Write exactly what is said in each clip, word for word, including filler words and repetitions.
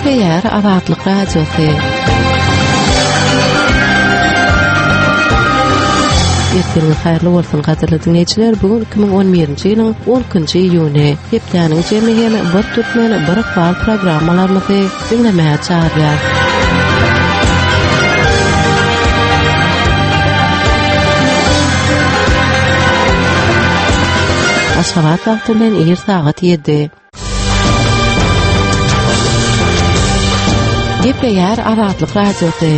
Gepleýär Azatlyk Radiosy. Ertiriňiz haýyrly bolsun gadyrly diňleýjiler. Bu gün iki müň on birinji ýylyň on ikinji iýuny. Hepdäniň jemi hem bir türkmen bir ykbal programmalarymyzy diňlemäge çagyrýar. Aşgabat wagty bilen ir sagat ýedi. Gepleýär Azatlyk Radiosy.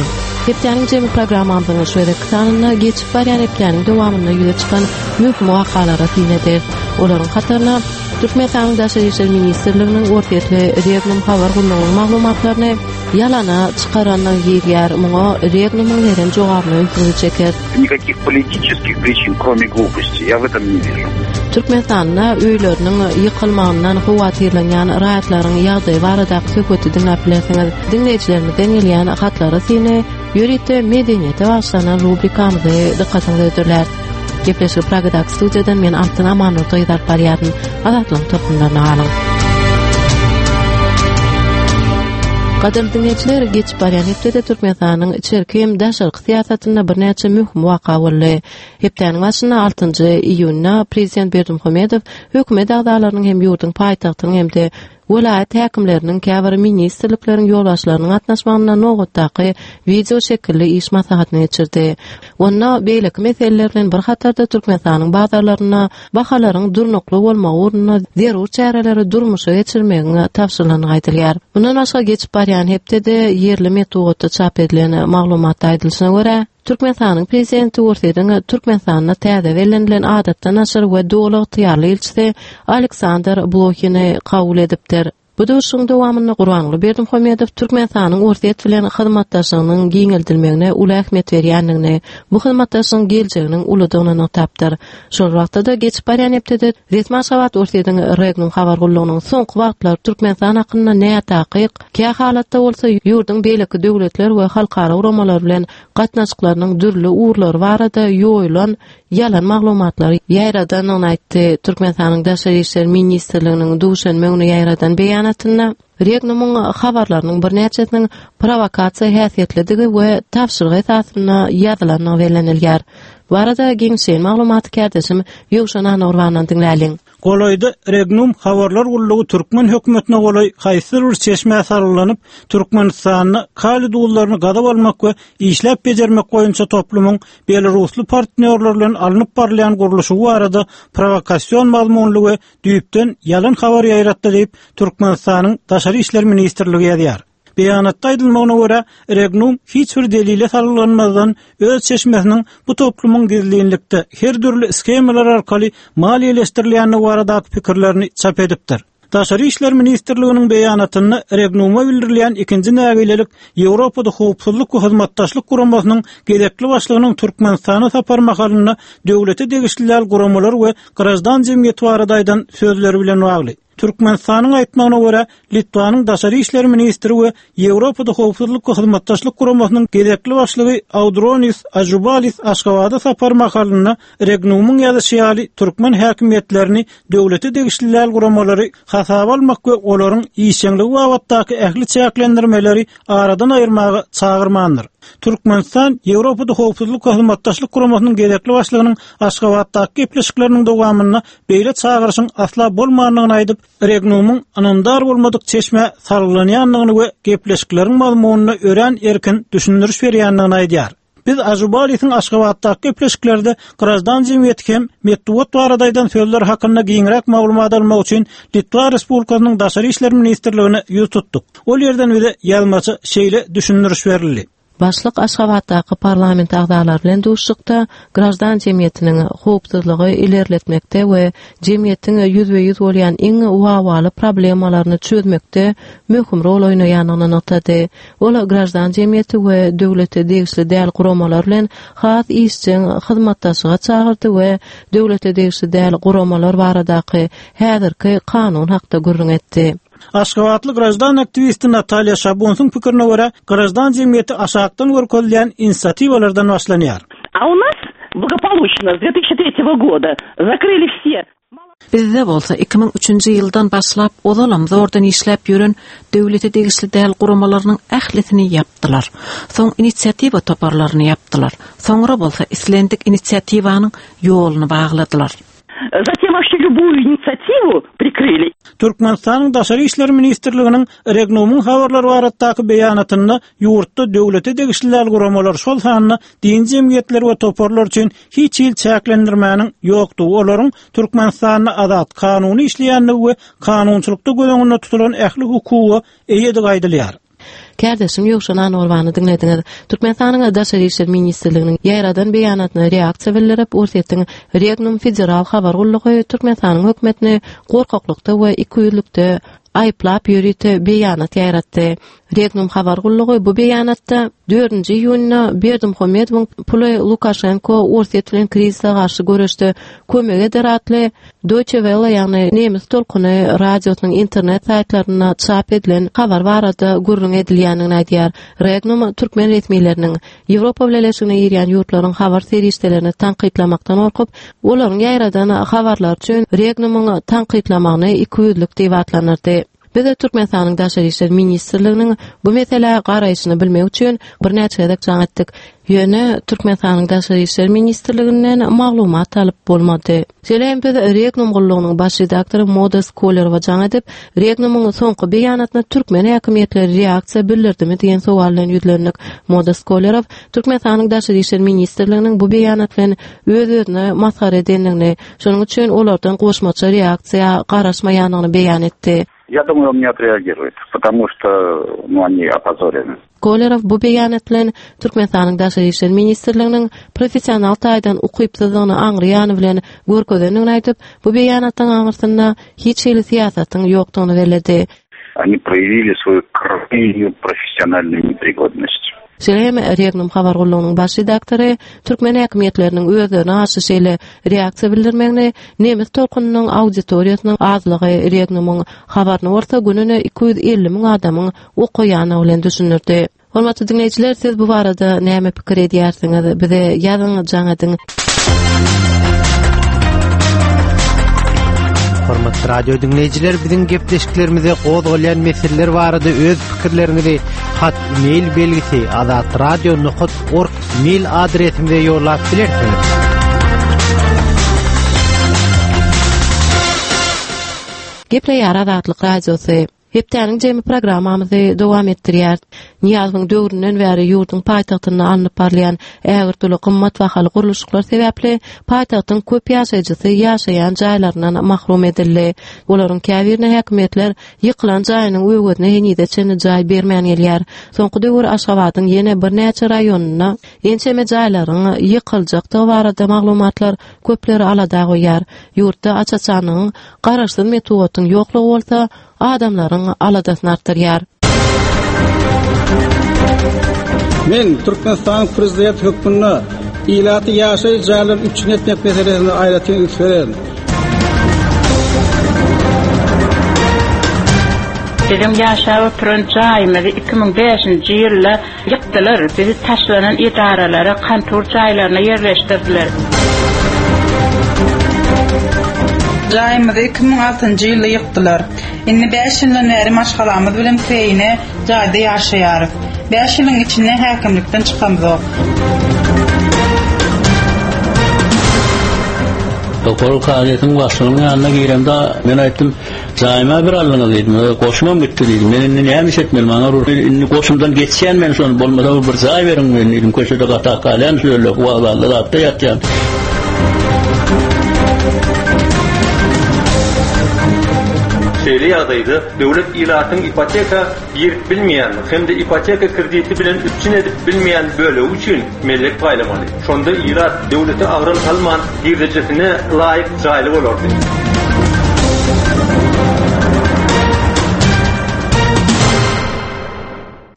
Hepdäniň jemi programmamyzyň şu gezekki sanynda geçip barýan hepdäniň dowamynda ýüze çykan möhüm wakalara syn ederis. Olaryň hataryna Türkmenistanyň Daşary işler ministrliginiň Orsýetli Regnum habar gullugynyň maglumatlaryny ýalana çykarandygy girýär. Muňa Regnumyň beren jogabyny ünsüňizi çeker. Никаких политических причин, кроме глупости, я в этом не вижу. Türkmenistanda öýleriniň ýykylmagyndan howatyrlanýan raýatlaryň ýagdaýy baradaky söhbeti diňläp bilersiňiz. Diňleýjilerimizden gelýän hatlary syny ýörite medeniýete bagyşlanan rubrikamyzy dykgatyňyza hödürlär. Gepleşik Pragadaky studiýadan men Altyn Amanurdy alyp barýaryn. Azatlygyň tolkunlaryna galyň. Gadyrly diňleýjiler, geçip barýan hepdede Türkmenistanyň içerki hem daşarky syýasatynda birnäçe möhüm waka boldy. Hepdäniň başynda altynjy iýunda Prezident Berdimuhamedow hökümet agzalarynyň hem ýurduň paýtagtynyň hem-de welaýat häkimleriniň käbir ministrlikleriň ýolbaşçylarynyň gatnaşmagynda nobatdaky wideo şekilli iş maslahatyny geçirdi. Onda beýleki meseleler bilen bir hatarda Türkmenistanyň bazarlarynda bahalaryň durnukly bolmagy ugrunda zerur çäreleri durmuşa geçirmegiň tabşyrylandygy aýdylýar. Mundan başga geçip barýan hepdede ýerli metbugatda çap edilen maglumatda aýdylyşyna görä, Türkmenistanyň prezidenti Orsýetiň Türkmenistanda täze bellenilen adatdan daşary we doly ygtyýarly ilçisi Aleksandr Blohini kabul edipdir. Bu duşuşygyň dowamynda Gurbanguly Berdimuhamedow Türkmenistanyň Orsýet bilen hyzmatdaşlygynyň giňeldilmegine uly ähmiýet berýändigini, bu hyzmatdaşlygyň geljeginiň uludygyny nygtapdyr. Şol wagtda-da geçip barýan hepdede resmi Aşgabat Orsýetiň Regnum habar gullugynyň soňky wagtlar Türkmenistan hakynda nätakyk, kä halatda bolsa ýurduň beýleki döwletler we halkara guramalar bilen gatnaşyklarynyň dürli ugurlary barada ýoýulan ýalan maglumatlary ýaýradandygyny aýtdy. Türkmenistanyň Daşary işler ministrliginiň duşenbe güni ýaýradan beýanatynda Regnumyň habarlarynyň birnäçesiniň provokasiýa häsiýetlidigi we tabşyryk esasynda ýazylandygy bellenilýär. Bu arada giňişleýin maglumaty kärdeşim Ýowşan Anagurbandan diňläliň. Golaýda Regnum habarlar gullugy türkmen hökümetine golaý haýsydyr bir çeşmä salgylanyp, Türkmenistanda kaliý duzlaryny gazyp almak we işläp bejermek boýunça toplumyň belarusly partnýorlar bilen alnyp barylýan gurluşygy barada prowokasion mazmunly we düýpden ýalan habar ýaýratdy diýip, Türkmenistanyň Daşary işler ministrligi ýazýar. Beýanatda aýdylmagyna görä, Regnum hiç bir delile salgylanmazdan öz çeşmesiniň bu toplumyň gizlinlikde her dürli shemalar arkaly maliýeleşdirilýändigi baradaky pikirlerini çap edipdir. Daşary işler ministrliginiň beýanatynda Regnuma bildirilýän ikinji nägilelik Ýewropada howpsuzlyk we hyzmatdaşlyk guramasynyň gezekli başlygynyň Türkmenistana sapar mahalynda döwlete degişli däl guramalar we graždan jemgyýeti barada aýdan sözleri bilen bagly. Türkmenistanyň aýtmagyna görä, Litwanyň Daşary işler ministri we Ýewropada howpsuzlyk we hyzmatdaşlyk guramasynyň gezekli başlygy Audronis Ažubalis Aşgabada sapar mahalynda Regnumyň ýazyşy ýaly türkmen häkimiýetlerini döwlete degişli däl guramalary hasaba almak we olaryň işjeňligi babatdaky ähli çäklendirmeleri aradan aýyrmaga çagyrmandyr. Türkmenistan Ýewropada howpsuzlyk we hyzmatdaşlyk guramasynyň gezekli başlygynyň Aşgabatdaky gepleşikleriniň dowamynda beýle çagyryşyň asla bolmandygyny aýdyp, Regnumyň ynamdar bolmadyk çeşmä salgylanýandygyny we gepleşikleriň mazmunyna örän erkin düşündiriş berýändigini aýdýar. Biz Ažubalisiň Aşgabatdaky gepleşiklerde graždan jemgyýeti hem metbugat barada aýdan sözler hakynda giňräk maglumat almak üçin Litwa Respublikasynyň Daşary işler ministrligine ýüz tutduk. Ol ýerden bize ýazmaça şeýle düşündiriş berildi. Başlyk Aşgabatdaky parlament agzalary bilen duşuşykda graždan jemgyýetiniň howpsuzlygy ilerletmekde we jemgyýetiň ýüzbe-ýüz bolýan iň wawaly problemalaryny çözmekde möhüm rol oýnaýandygyny nygtady. Ol graždan jemgyýeti we döwlete degişli däl guramalar bilen has işjeň hyzmatdaşlyga çagyrdy we döwlete degişli däl guramalar baradaky häzirki kanun hakda gürrüň etdi. Aşgabatly graždan aktiwisti Natalýa Şabunsyň pikirine görä, graždan jemgyýeti aşakdan görkezilýän inisiatiwalardan başlanýar. А у нас благополучно с две тысячи третьего года закрыли все. Bizde bolsa iki müň üçünji ýyldan başlap ozalam zordan işläp ýören döwlete degişli däl guramalarynyň ählisini ýapdylar. Soň inisiatiwa toparlaryny ýapdylar. Soňra bolsa islendik inisiatiwanyň ýoluny bagladylar. Затем вообще любую инициативу прикрыли. Türkmenistanyň Daşary işler ministrliginiň Regnumyň habarlary baradaky beýanatynda ýurtda döwlete degişli däl guramalar, şol sanda din jemgyýetleri we toparlar üçin hiç hil çäklendirmäniň ýokdugy, olaryň Türkmenistanda azat kanuny işleýändigi we kanunçylykda göz öňünde tutulan ähli hukuga eýedigi aýdylýar. Kärdeşim Ýowşan Anorbany diňlediňiz. Türkmenistanyň Daşary işler ministrliginiň ýaýradan beýanatyna reaksiýa bildirip, Orsýetiň Regnum Federal habar gullugy Türkmenistanyň hökümetini gorkaklykda we ikiýüzlükde aýyplap ýörite beýanat ýaýratdy. Regnum habar gullugy bu beýanatda dördünji iýunda Berdimuhamedowyň puly Lukaşenko Orsýet bilen krizise garşy göreşde kömek eder atly Deutsche Welle, ýagny nemes tolkuny radiosynyň internet saýtlarynda çap edilen habar barada gürrüň edilýändigini aýdýar. Regnum türkmen resmileriniň Ýewropa Bileleşigine girýän ýurtlaryň habar serişdelerini tankytlamakdan gorkup, olaryň ýaýradan habarlar üçin Regnumyň tankytlamagyny ikiýüzlük diýip atlandyrdy. Biz de Türkmenistanyň Daşary işler ministrliginiň bu meselä garaýşyny bilmek üçin birnäçe gezek jaň etdik. Ýöne Türkmenistanyň Daşary işler ministrliginden maglumat alyp bolmady. Şeýle hem biz Regnum gullugynyň baş redaktory Modest Kolerowa jaň edip, Regnumyň soňky beýanatyna türkmen häkimiýetleri reaksiýa bildirdimi diýen sowal bilen ýüzlendik. Modest Kolerow Türkmenistanyň Daşary işler ministrliginiň bu beýanat bilen öz-özüne masgara edendigini, şonuň üçin olardan goşmaça reaksiýa garaşmaýandygyny beýan etdi. Я думаю, он не отреагирует, потому что, ну, они опозорены. Kolerow bu beýanat bilen Türkmenistanyň Daşary işler ministrliginiň professional taýdan ukypsyzlygyny aňryýany bilen görkezendigini aýdyp, bu beýanatdan aňyrsynda hiç hili syýasatyň ýokdugyny belledi. Они проявили свою крайнюю профессиональную непригодность. Şeýle hem Regnum habar gullugynyň baş redaktory türkmen häkimiýetleriniň özlerine garşy şeýle reaksiýa bildirmegini nemes tolkunynyň auditoriýasynyň azlygy Regnumyň habaryny bolsa gününe iki ýüz elli müň adamyň okaýany bilen düşündirdi. Hormatly diňleýjiler, siz bu barada näme pikir edýärsiňiz? Bize ýazyň, jaň ediň. Hormatly radio dinleýjiler, biziň gepleşiklerimize gozgalýan meseleler barada öz pikirleriňizi hat mail belgisi azatradio nokta org mail adresimize ýollap bilersiňiz. Gepleýär Azatlyk Radiosy. Hepdäniň jemi programmamyzy dowam etdirýär. Niýazowyň döwründen bäri ýurduň paýtagtynda alnyp barylýan ägirt uly gymmat bahaly gurluşyklar sebäpli paýtagtyň köp ýaşaýjysy ýaşaýan jaýlaryndan mahrum edildi. Olaryň käbirine häkimiýetler ýykylan jaýynyň öwezine henize çenli jaý bermän gelýär. Soňky döwür Aşgabadyň ýene birnäçe raýonynda ençeme jaýlaryň ýykyljakdygy barada maglumatlar köpleri alada goýýar. Ýurtda aç-açanlygyň garaşsyz metbugatyň ýoklugy bolsa adamlaryň aladasyny artdyrýar. Men Türkmenistanyň prezidenti hökmünde ilaty ýaşaýyş jaýlaryny üpjün etmek meselesine aýratyn üns bererin. Biziň ýaşap oturan jaýymyzy iki müň bäşinji ýylda ýykdylar. Bizi taşlanan edaralara, kontor jaýlaryna ýerleşdirdiler. Jaýymyzy iki müň altynjy ýylda ýykdylar. Indi bäş ýyldan bäri maşgalamyz bilen kireýine jaýda ýaşaýarys. Bäş ýylyň içinde häkimlikden çykamyzok. Doktor kazyýetiň başlygynyň ýanyna giremde men aýtdym, jaýyma bir aldyňyz diýdim, goşumam gitdi diýdim. Men indi näme iş etmeli, maňa ruh indi goşumdan geçýän men şony bolmasa bir jaý beriň men diýdim, köşede gatak galýan, şöyle wagzalda zatda ýatýan. Şeýle ýagdaýda döwlet ilatyň ipoteka girip bilmeýän hem-de ipoteka krediti bilen üpjün edip bilmeýän bölegi üçin mellek paýlamaly. Şonda ilat döwlete agram salman girdejesine laýyk jaýly bolardy.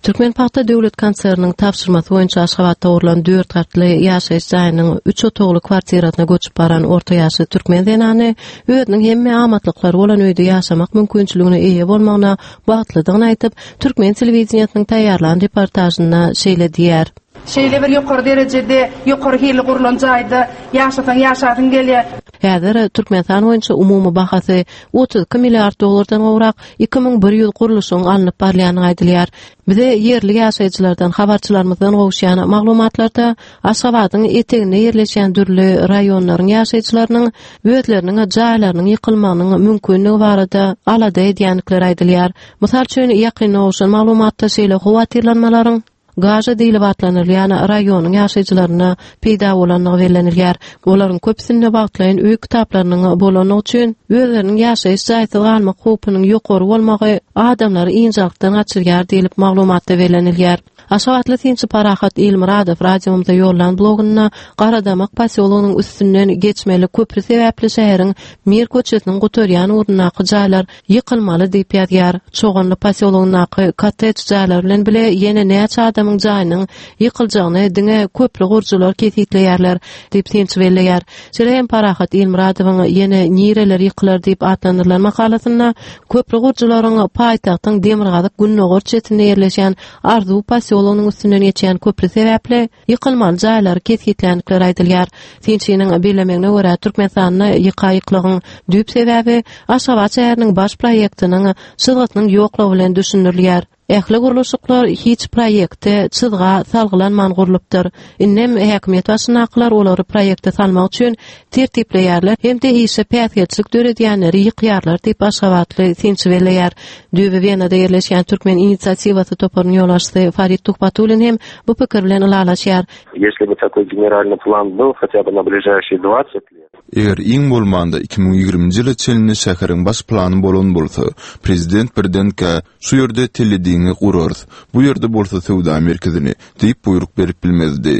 Türkmen Pagta Döwlet Konserniniň tabşyrmasy boýunça Aşgabatda gurlan dört gatly ýaşaýyş jaýynyň üç otagly kwartirasyna göçüp baran orta ýaşly türkmen zenany özüniň hemme amatlyklary bolan öýde ýaşamak mümkinçiligine eýe bolmagyna bagtlydygyny aýdyp, Türkmen telewideniýesiniň taýýarlan reportažynda şeýle diýär. Şeýle bir ýokary derejede, ýokary hilli gurlan jaýda ýaşasaň ýaşasyň gelýär. Häzir Türkmenistan boýunça umumy bahasy otuz iki milliard dollardan gowrak iki müň bir ýüz gurluşygyň alnyp barylýandygy aýdylýar. Bize ýerli ýaşaýjylardan, habarçylarymyzdan gowuşýan maglumatlarda Aşgabadyň eteginde ýerleşýän dürli raýonlaryň ýaşaýjylarynyň özleriniň jaýlarynyň ýykylmagynyň mümkinligi barada alada edýändikleri aýdylýar. Mysal üçin, ýakynda gowşan maglumatda şeýle howatyrlanmalaryň Gaža diýlip atlandyrylýan raýonyň ýaşaýjylarynda peýda bolandygy bellenilýär. Olaryň köpüsinde wagtlaýyn öý kitaplarynyň bolandygy üçin özleriniň ýaşaýyş jaýsyz galmak howpunyň ýokary bolmagy adamlary ynjalykdan gaçyrýar diýlip maglumatda bellenilýär. Aşgabatly synçy Parahat Ilmyradow radiomyza ýollan blogunda Garadamak posýologynyň üstünden geçmeli köpri sebäpli şäheriň Mir köçesiniň gutarýan ugrundaky jaýlar ýykylmaly diýip ýazýar. Çoganly posýologyndaky kottej jaýlar bilen bile ýene näçe adamyň jaýynyň ýykyljagyny diňe köpri gurujylar kesgitleýärler diýip synçy belleýär. Şeýle hem Parahat Ilmyradowyň ýene nireler ýykylar diýip atlandyrylan makalasynda köpri gurujylaryň paýtagtyň demirgazyk gündogar çetinde ýerleşýän Arzuw posýologynyň üstünden geçýän köpri sebäpli ýykylmaly jaýlary kesgitländikleri aýdylýar. Synçynyň bellemegine görä, Türkmenistanda ýyka-ýyklygyň düýp sebäbi Aşgabat şäheriniň baş proýektiniň çyzgysynyň ýoklugy bilen düşündirilýär. Ähli gurluşyklar hiç proýekte, çyzga salgylanman gurlupdyr. Indem häkimiýet başyndakylar olary proýekte salmak üçin tertipleýärler hem-de işe päsgelçilik döredýänleri ýykýarlar diýip, aşgabatly synçy belleýär. Düýbi Wenada ýerleşýän Türkmen inisiatiwasy toparynyň ýolbaşçysy Farid Tuhbatullin hem bu pikir bilen ylalaşýar. Если бы такой генеральный план был хотя бы на ближайшие двадцать лет. Eger iň bolmanda iki müň ýigriminji ýyla çenli şäheriň baş plany bolan bolsa, prezident birdenkä, Şu ýerde telediňi gurarys, bu ýerde bolsa söwda merkezini diýip buýruk berip bilmezdi.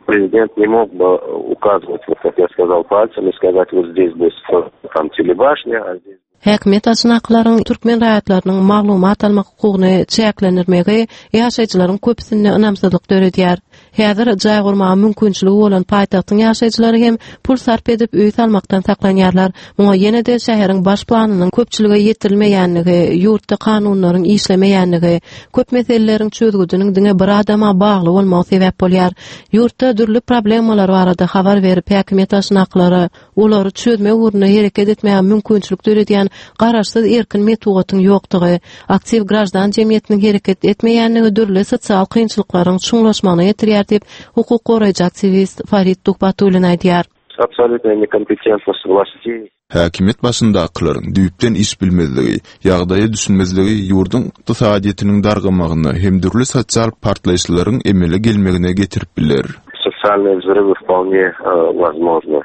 Prezident ne mog бы ukazywać, вот как я сказал, пальцем и сказать, вот здесь будет там телебашня, а здесь Häkimiýet başyndakylaryň türkmen raýatlarynyň maglumat almak hukugyny çäklendirmegi ýaşaýjylaryň köpüsinde ynamsyzlyk döredýär. Häzir jaý gurmaga mümkinçiligi bolan paýtagtyň ýaşaýjylary hem pul sarp edip öý salmakdan saklanýarlar. Muňa ýene-de şäheriň baş planynyň köpçülige ýetirilmeýänligi, ýurtda kanunlaryň işlemeýänligi, köp meseleleriň çözgüdiniň diňe bir adama bagly bolmagy sebäp bolýar. Ýurtda dürli problemalar barada habar berip, häkimiýet başyndakylara olary çözmek ugrunda hereket etmäge mümkinçilik döredýän garaşsyz erkin metbugatyň ýokdugy, aktiw graždan jemgyýetiniň hereket etmeýänligi dürli sosial kynçylyklaryň çuňlaşmagyna getirýär diýip, hukuk goraýjy aktiwist Farid Tuhbatullin aýdýar. Absolýutnaýa nekompetentnost włastей. Häkimiýet başyndakylaryň düýpden iş bilmezligi, ýagdaýa düşünmezligi ýurduň ykdysadyýetiniň dargamagyna hem dürli sosial partlaýyşlaryň emele gelmegine getirip biler. Sosialnyý wzrywy wpolne wozmožny.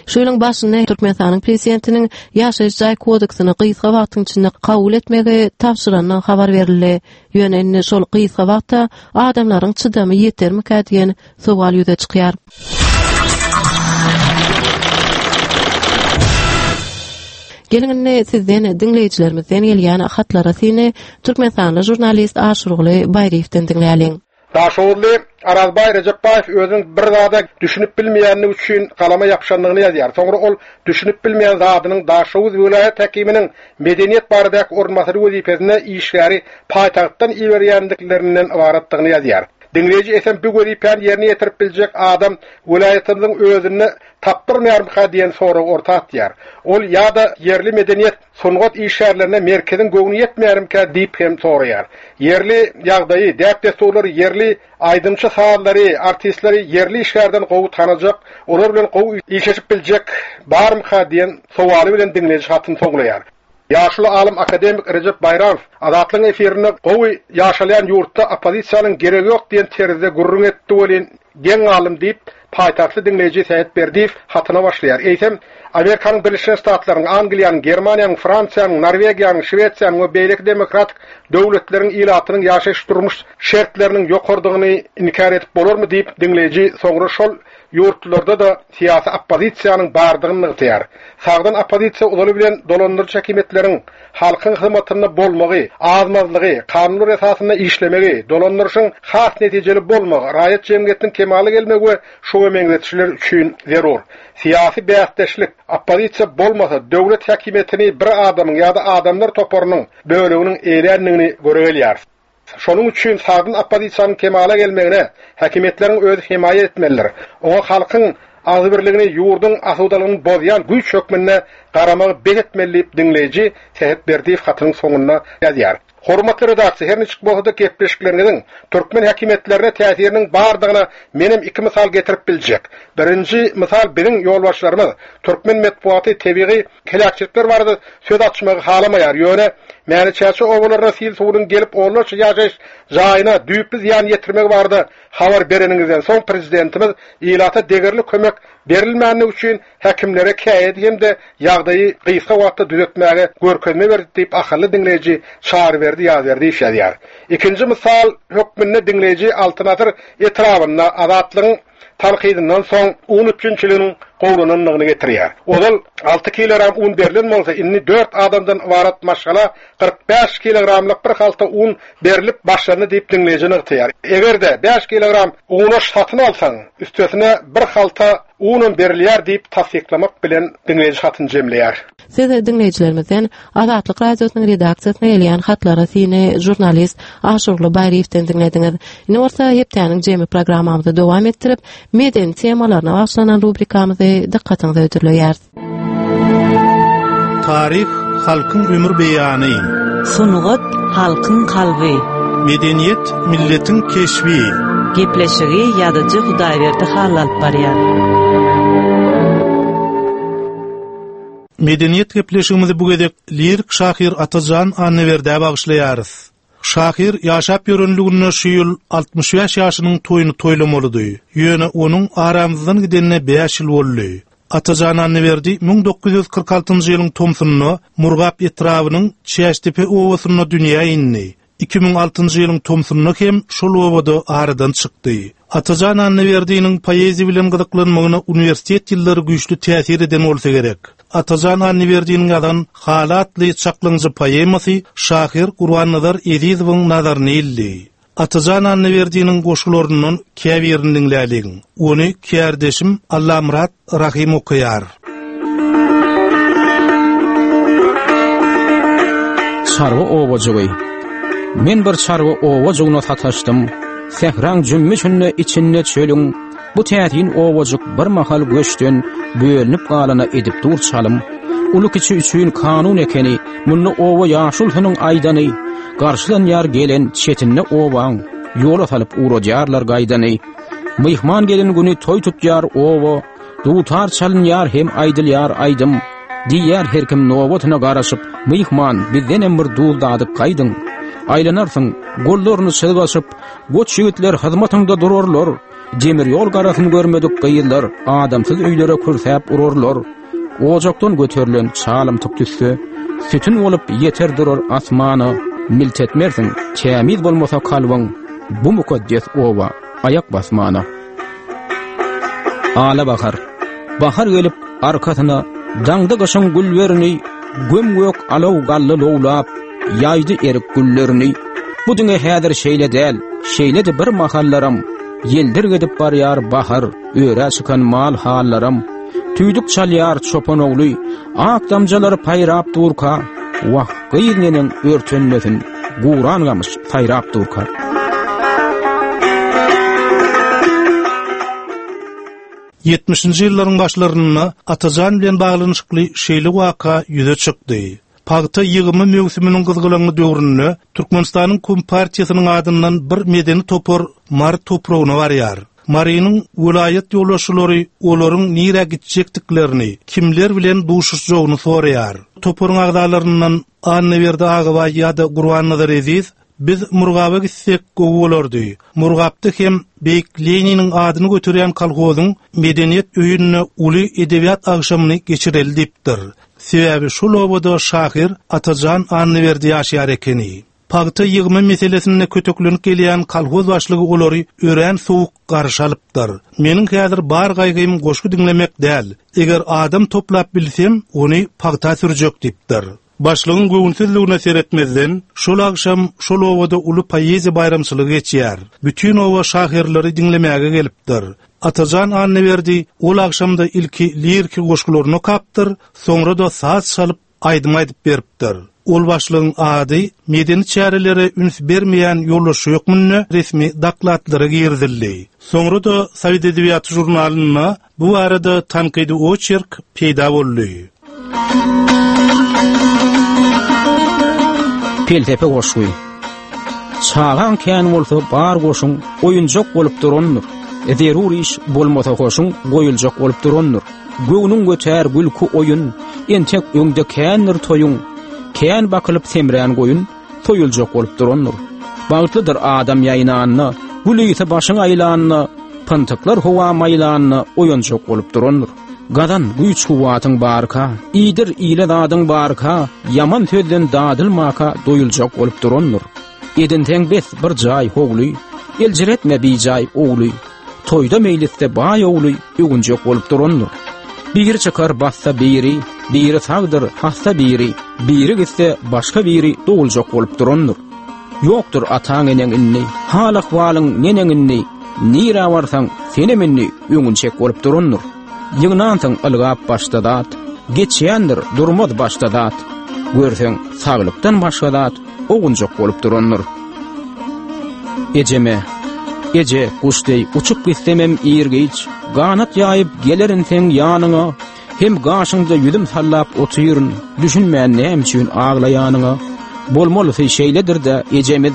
Şu ýylyň başynda Türkmenistanyň Prezidentiniň Ýaşaýyş jaý kodeksini gysga wagtyň içinde kabul etmegi tabşyrandygy habar berildi. Ýöne indi şol gysga wagtda adamlaryň çydamy ýetermikä diýen sowal ýüze çykýar. Geliň indi sizden, diňleýjilerimizden gelýän hatlara syny türkmenistanly žurnalist Aşyrguly Baýryýewden diňläliň. Daşoguzly Arazbaý Rejepbaýew özüniň bir zada düşünip bilmeýändigi üçin galama ýapyşandygyny ýazýar. Soňra ol düşünip bilmeýän zadynyň Daşoguz welaýat häkiminiň medeniýet baradaky orunbasary wezipesine işgäri paýtagtdan iberýändiklerinden ybaratdygyny ýazýar. Diňleýji eýsem bu wezipäni ýerine ýetirip biljek adam welaýatymyzyň özünde tapdyrmaýarmyka diýen soragy orta atýar. Ol ýa-da ýerli medeniýet, sungat işgärlerine merkeziň göwni ýetmeýärmikä diýip hem soraýar. Ýerli ýagdaýy, däp-dessurlary, ýerli aýdymçy sazlary, artistleri ýerli işgärden gowy tanajak, olar bilen gowy işleşip biljek barmyka diýen sowaly bilen diňleýji hatyny soňlaýar. Ýaşuly alym akademik Rejep Baýramow Azatlygyň efirinde gowy ýaşalýan ýurtda oppozisiýanyň geregi ýok diýen terzde gürrüň etdi welin, geň galdym diýip, paýtagtly diňleýji Sähet Berdiýew hatyna başlaýar. Eýsem, Amerikanyň Birleşen Ştatlarynyň, Angliýanyň, Germaniýanyň, Fransiýanyň, Norwegiýanyň, Şwesiýanyň we beýleki demokratik döwletleriň ilatynyň ýaşaýyş-durmuş şertleriniň ýokarydygyny inkär edip bolarmy diýip, diňleýji soňra şol ýurtlarda-da syýasy oppozisiýanyň bardygyny nygtaýar. Sagdyn oppozisiýa ozaly bilen dolandyryjy häkimiýetleriň halkyň hyzmatynda bolmagy, azmazlygy, kanunlar esasynda işlemegi, dolandyryşyň has netijeli bolmagy, raýat jemgyýetiniň kemala gelmegi we şuňa meňzetişler üçin zerur. Syýasy bäsdeşlik, oppozisiýa bolmasa, döwlet häkimiýetini bir adamyň ýa-da adamlar toparynyň böleginiň eýländigini göre gelýär. Şonuň üçin sagdyn oppozisiýanyň kemala gelmegine häkimiýetleriň özi hemaýat etmelidir. Oňa halkyň agzybirligini, ýurduň asudalygyny bozýan güýç hökmünde garamagy bes etmeli diýip diňleýji Sähet Berdiýew hatynyň soňunda ýazýar. Hormatly redaksiýa, her niçik bolsa-da gepleşikleriňiziň türkmen häkimiýetlerine täsiriniň bardygyna menem iki mysal getirip biljek. Birinji mysal biziň ýolbaşçylarymyz türkmen metbugaty tebigy heläkçilikler barada söz açmagy halamaýar. Ýöne Mäne-Çäçe obalaryna sil suwunyň gelip onlarça ýaşaýyş jaýyna düýpli zyýan ýetirmegi barada habar bereniňizden soň prezidentimiz ilata degerli kömek berilmänligi üçin häkimlere käýedi hem-de ýagdaýy gysga wagtda düzetmäge görkezme berdi diýip ahally diňleýji Çaryberdi Ýazberdiýew ýazýar. Ikinji mysal hökmünde diňleýji Altyn asyr etrabynda Azatlygyň tankydyndan soň un üpjünçiliginiň gowulanandygyny getirýär. Ozal alty kilogram un berlen bolsa, indi dört adamdan ybarat maşgala kyrk bäş kilogramlyk bir halta un berlip başlandy diýip diňleýji nygtaýar. Eger-de bäş kilogram unaş satyn alsaň, üstesine bir halta unam berilýär diýip tassyklamak bilen diňleýji hatyny jemleýär. Siz diňleýjilerimizden Azatlyk Radiosynyň redaksiýasyna gelýän hatlara syny žurnalist Aşurly Baýryýewden diňlediňiz. Indi bolsa hepdäniň jemi programmamyzy dowam etdirip, medeni temalaryna bagyşlanan rubrikamyzy dykgatyňyza hödürleýäris. Taryh halkyň ömür beýany. Sungat halkyň kalby. Medeniýet milletiň keşbi. Gepleşigi ýazyjy Hudaýberdi Hally alyp barýar. Medeniýet gepleşigimizi bu gezek lirik şahyr Atajan Annaberdä bagyşlaýarys. Şahyr ýaşap ýörenliginde şu ýyl altmyş bäş ýaşynyň toýuny toýlamalydy. Ýöne onuň aramyzdan gidenine bäş ýyl boldy. Atajan Annaberdi müň dokuz ýüz kyrk altynjy ýylyň tomsunda Murgap etrabynyň Çäştepe obasynda dünýä indi. Iki müň altynjy ýylyň tomsunda hem şol obada aradan çykdy. Atajan Annaberdiniň poeziýa bilen gyzyklanmagyna uniwersitet ýyllary güýçli täsir eden bolsa gerek. Atajan Annaberdiniň ýazan Haly atly çaklaňjy poemasy şahyr Gurbannazar Ezizowyň nazaryny ildi. Atajan Annaberdiniň goşgularyndan käbirini diňläliň. Ony kärdeşim Allamyrat Rahym okaýar. Çarwa obajygy. Men bir çarwa obajygyna sataşdym. Sähraň jümmüşinde içinde çölüň. Bu täsin obajyk bir mahal göçden bölünip galana edip dur çalym. Ulu kiçi üçin kanun ekeni, munda oba ýaşulsynyň aýdany, garşylanýar gelen çetinde obaň, ýola salyp uradýarlar gaýdany. Myhman gelen güni toý tutýar oba, dutar çalynýar hem aýdylýar aýdym. Diýer her kim nobatyna garaşyp, myhman bizdenem bir duz dadyp gaýdyň. Aýlanarsyň, gollaryny çyzgaşyp, goç ýigitler hyzmatyňda durarlar. Demir ýol garasyny görmedik gyzlar, adamsyz öýlere kürsäp urarlar. Ojakdan göterilen çalymtyk tüsse, sütün bolup ýeter durar asmana. Milt etmersiň, tämiz bolmasa kalbyň, bu mukaddes oba aýak basmana. Ala bahar, bahar gelip arkasyna, daňda gyşyň güllerini, göm-gök alaw gally lowlap, ýaýdy erik güllerini. Bu diňe häzir şeýle däl, şeýle-de bir mahallaram, ýeldir gidip barýar bahar, öýre çykan mal hallaram. Tüýdük çalýar çopan ogly, ak damjalary paýrap durka, wah gyz neneň örtenmesin, guran gamyş saýrap durka. Ýetmişinji ýyllaryň başlarynda Atajan bilen baglanyşykly şeýle waka ýüze çykdy. Pagta ýygymy möwsüminiň gyzgalaňly döwründe Türkmenistanyň Kompartiýasynyň adyndan bir medeni topar Mary topragyna barýar. Marynyň welaýat ýolbaşçylary olaryň nirä gitjekdiklerini, kimler bilen duşuşjagyny soraýar. Toparyň agzalaryndan Annaberdi Agabaý ýa-da Gurbannazar Eziz biz Murgaba gitsek gowy bolardy. Murgapda hem Beýik Leniniň adyny göterýän kolhozyň medeniýet öýünde uly edebiýat agşamyny geçireli diýipdir. Sebäbi şol obada şahyr Atajan Annaberdi ýaşaýar ekeni. Pagta ýygymy meselesinde köteklenip gelýän kolhoz başlygy olary örän sowuk garşy alypdyr. Meniň häzir bar gaýgym goşgy diňlemek däl. Eger adam toplap bilsem, ony pagta sürjek diýipdir. Başlygyň göwünsizligine seretmezden, şol agşam şol obada uly poeziýa baýramçylygy geçýär. Bütün oba şahyrlary diňlemäge gelipdir. Atajan Annaberdi ol agşamda ilki liriki goşgularyny okapdyr, soňra da saz çalyp aýdym aýdyp beripdir. Ol başlygyň ady medeni çärelere üns bermeýän ýoldaşy hökmünde resmi dokladlara girizildi. Soňra da Sowet edebiýaty žurnalynda bu barada tankydy oçerk peýda boldy. Pelsepe goşgy. Çagaň kän bolsa bar goşuň oýunjak bolup durandyr. Zerur iş bolmasa hoşuň goýuljak bolup durandyr. Göwnüň götär gülki oýun, entek öňde kändir toýuň. Kän bakylyp semrän goýun, toýuljak bolup durandyr. Bagtlydyr adam ýaýnanda, gül ýysa başyň aýlanda, pyntyqlar howa maýlanda oýunjak bolup durandyr. Gazan güýç kuwwatyň barka, iýdir ile zadyň barka, ýaman sözden dadylmaka doýuljak bolup durandyr. Edinseň bes bir jaý howly, eljiretme bijaý ogly. Toýda meýlisde baý ogly öwünjek bolup durandyr. Biri çykar bassa biri, biri sagdyr hassa biri, biri gitse başga biri doguljak bolup durandyr. Ýokdur ataň eneň indi, hal ahwalyň neneň indi, nirä barsaň senem indi öňünçek bolup durandyr. Ýygnansyň ylgap başda zat, geçýändir durmaz başda zat. Görseň saglykdan başga zat ogunjak bolup durandyr. Ejeme, eje guş deý uçup gitsemem ir-giç, ganat ýaýyp gelerin seň ýanyňa, hem gaşyňda ýüzüm sallap otyryn, düşünmän näme üçin aglaýanyňa. Bolmalysy şeýledir-de ejemiz,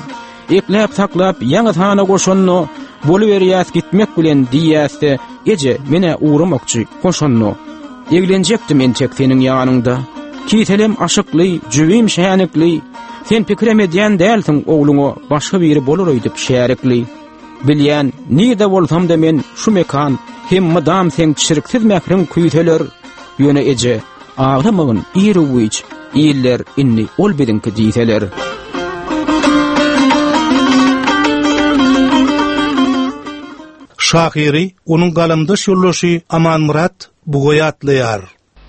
ekläp saklap ýaňy sana goşanno, boluberýäs gitmek bilen diýýäs-de, eje menä ugramakçy goşanno. Eglenjekdim entek seniň ýanyňda. Kiselem aşykly, jübim şänikli, sen pikirem edýän dälsiň ogluňa başga biri bolar öýdüp şärikli. Bilýän, nirde bolsam da men şu mekan, hem mydam seň çirksiz mähriň küýseler. Ýöne eje, aglamagyn ir-u-giç, iller indi ol biziňki diýseler. Şahyry onuň galamdaş ýoldaşy Amanmyrat Bugaý atlaýar.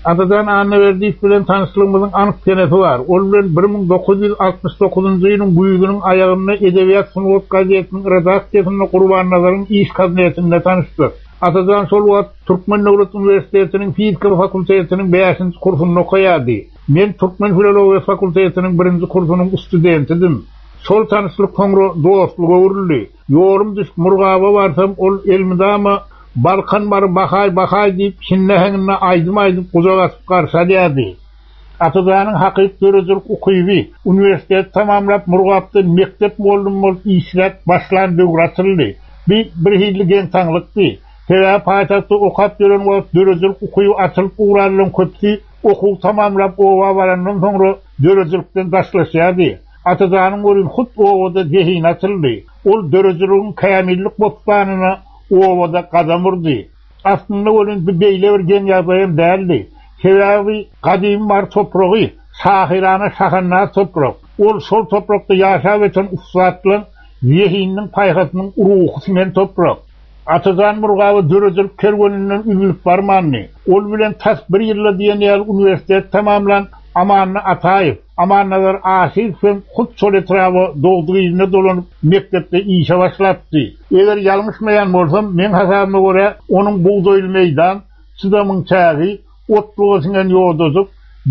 Atajan Annaberdiýew bilen tanyşlygymyzyň anyk senesi bar. Ol bilen bir müň dokuz ýüz altmyş dokuzynjy ýylyň güýzüniň aýagynda Edebiýat sungat gazetiniň redaksiýasynda Gurbannazaryň iş kabinetinde tanyşdyk. Atajan şol wagt Türkmen Döwlet Uniwersitetiniň fizika fakultetiniň bäşinji kursunda okaýardy. Men Türkmen Filologiýa fakultetiniň birinji kursunyň studentidim. Şol tanyşlyk soňra dostluga öwrüldi. Ýolum düşüp Murgaba barsam, ol elmydama Balkan bary bahay bahay diýip şinne-heňine aýdym aýdyp gujak atyp garşy alýardy. Atajanyň hakyky döredijilik ukyby uniwersitet tamamlap Murgapda mekdep mugallym bolup işläp başlan döwür açyldy. Bir bir hilli geň-taňlykdy. Sebäbi paýtagtda okap ýören wagt döredijilik ukyby açylyp ugranlaryň köpüsi okuw tamamlap oba barandan soňra döredijilikden daşlaşýardy. Atajanyň welin hut obada zehini açyldy. Ol döredijiligiň kämillik bossanyna obada gadam urdy. Aslynda welin bu beýle bir geň ýagdaýam däldi. Sebäbi gadymy bar topragy, şahyrana şahandaz toprak. Ol şol toprakda ýaşap öten ussatlaryň zehininiň paýhasynyň ruhy siňen toprak. Atajan Murgaba döredijilik kerweninden üzülip barmandy. Ol bilen tas bir ýylda diýen ýaly uniwersitet tamamlan Amanny Ataýew, Amannazar Aşyrow hem hut şol etraba dogduk iline dolanyp mekdepde işe başlapdy. Eger ýalňyşmaýan bolsam, meň hasabyma görä onuň bugdaýly meýdan, çydamyň çägi, otluga siňen ýodajyk,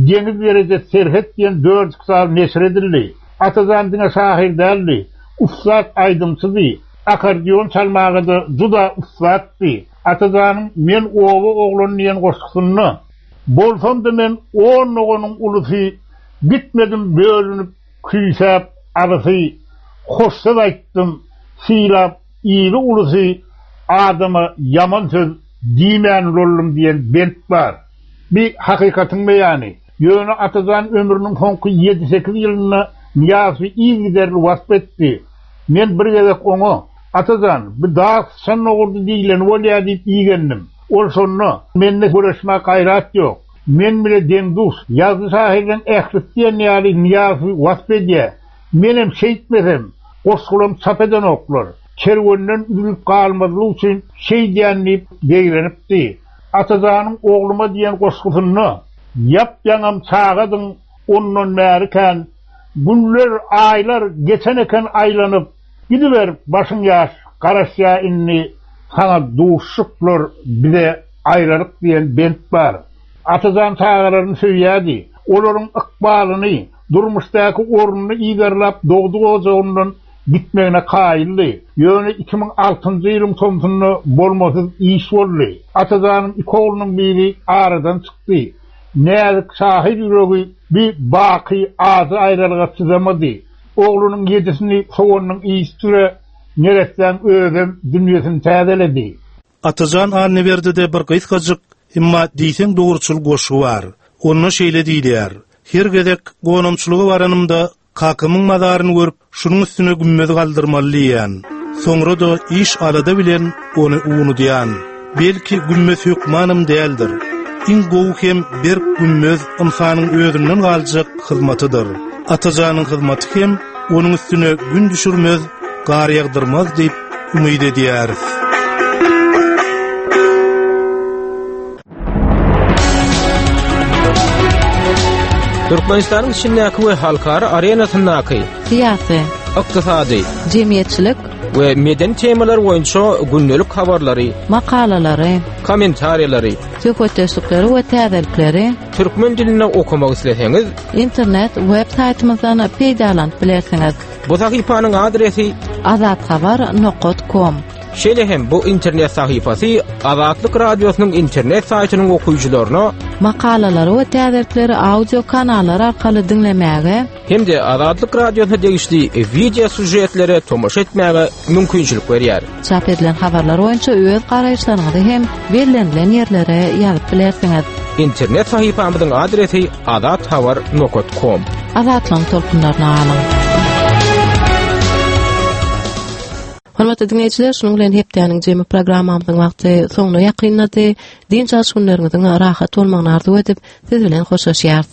deňiz derejesi serhet diýen dört kitaby neşir edildi. Atajan diňe şahyr däldi, ussat aýdymçydy, akordeon çalmaga-da juda ussatdy. Atajanyň Men oba oglan diýen goşgusynda bolsam da men on doganyň ulusy, gitmedim bölünip küýsäp alysy, hoş söz aýtdym, sylap ili ulusy, adama ýaman söz diýmän boldum diýen bent bar. Bir hakykatyň beýany. Ýöne Atajan ömrüniň soňky ýedi sekiz ýylynda Nyýazowy yzygiderli wasp etdi. Men bir gezek oňa, Atajan, bu dag sıçan dogurdy diýleni bolýar diýip iýgendim. Ol şonda, mende göreşme gaýrat ýok. Men bile deň-duş, ýazdy şahyrdan ählisi diýen ýaly Nyýazowy wasp edýär. Menem şeýtmesem, goşgulam çap edenoklar. Kerwenden üzülip galmazlyk üçin şeýdýän diýip zeýrenipdi. Atajanyň ogluma diýen goşgusynda ýap-ýaňam çagadyň ondan bärikän, günler, aýlar geçen eken aýlanyp, gidiber başyň ýaş, garaşýa indi saňa duşuşyklar bize aýralyk diýen bent bar. Atajan çagalaryny söýýärdi. Olaryň ykbalyny, Durmuşdaky ornuny yzarlap dogduk ojagyndan gitmegine kaýyldy. Ýöne iki müň altynjy ýylyň tomsunda bolmasyz iş boldy. Atajanyň iki oglunyň biri aradan çykdy. Näzik şahyr ýüregi bir baky ajy aýralyga çydamady. Oglunyň ýedisini sowanyň iyistire neresden özem dünýesini täzeledi. Atajan Annaberdide bir gysgajyk, emma diýseň dogruçyl goşgy bar. Onda şeýle diýilýär: Her gezek gonamçylyga baranymda kakamyň mazaryny görüp, şunuň üstüne gümmez galdyrmaly diýen. Soňra da iş alada bilen ony unudýan. Belki gümmez hökmanym däldir. Iň gowy hem berk gümmez ynsanyň özünden galjak hyzmatydyr. Atajanyň hyzmaty hem onuň üstüne gün düşürmez, gar ýagdyrmaz diýip umyt edýäris. Türkmenistanyň içindäki we halkara arenasyndaky syýasy, ykdysady, jemgyýetçilik we medeni temalar boýunça gündelik habarlary, makalalary, kommentariýalary, söhbetdeşlikleri we täzelikleri türkmen dilinde okamak isleseňiz, internet web saýtymyzdan peýdalanyp bilersiňiz. Bu sahypanyň adresi azathabar nokta com. Şeýle hem bu internet sahypasy Azatlyk Radiosynyň internet saýtynyň okyjylaryna makalalary we täzelikleri audio kanallar arkaly diňlemäge hem-de Azatlyk Radiosyna degişli video süžetlere tomaşa etmäge mümkinçilik berýär. Çap edilen habarlar boýunça öz garaýyşlaryňyzy hem bellenilen ýerlere ýazyp bilersiňiz. Internet sahypamyzyň adresi azathabar nokta com. Azatlygyň tolkunlaryna galyň. Hormatly dinleýjiler, şunuň bilen hepdäniň jemi programmamyzyň wagty soňuna ýakynlady. Dynç alyş günleriňiziň rahat bolmagyny arzuw edip, siz bilen hoşlaşýarys.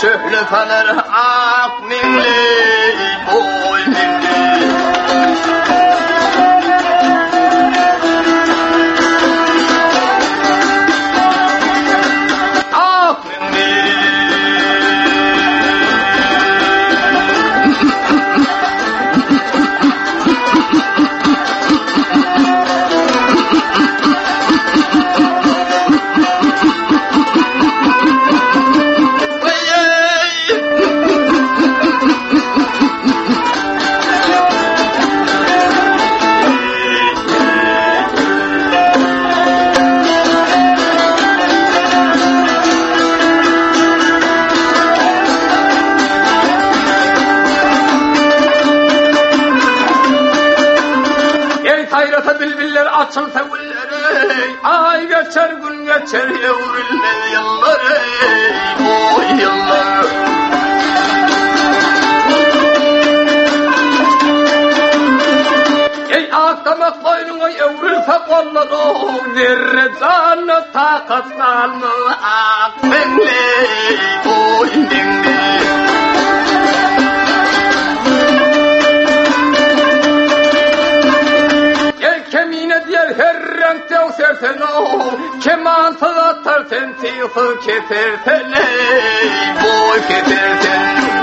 Şöhle salar ak meňli boý meňli. Ak meňli. Açılsa gülleri, ay geçer gün geçer evrilmez yıllar, oy yıllar. Ey akdamak boynuna evrilse kollar, o zerre canı takat kalma, ak meňli, boy meňli. sen Kemansyz atar sen, tygsyz keser sen Ey, boy keser sen.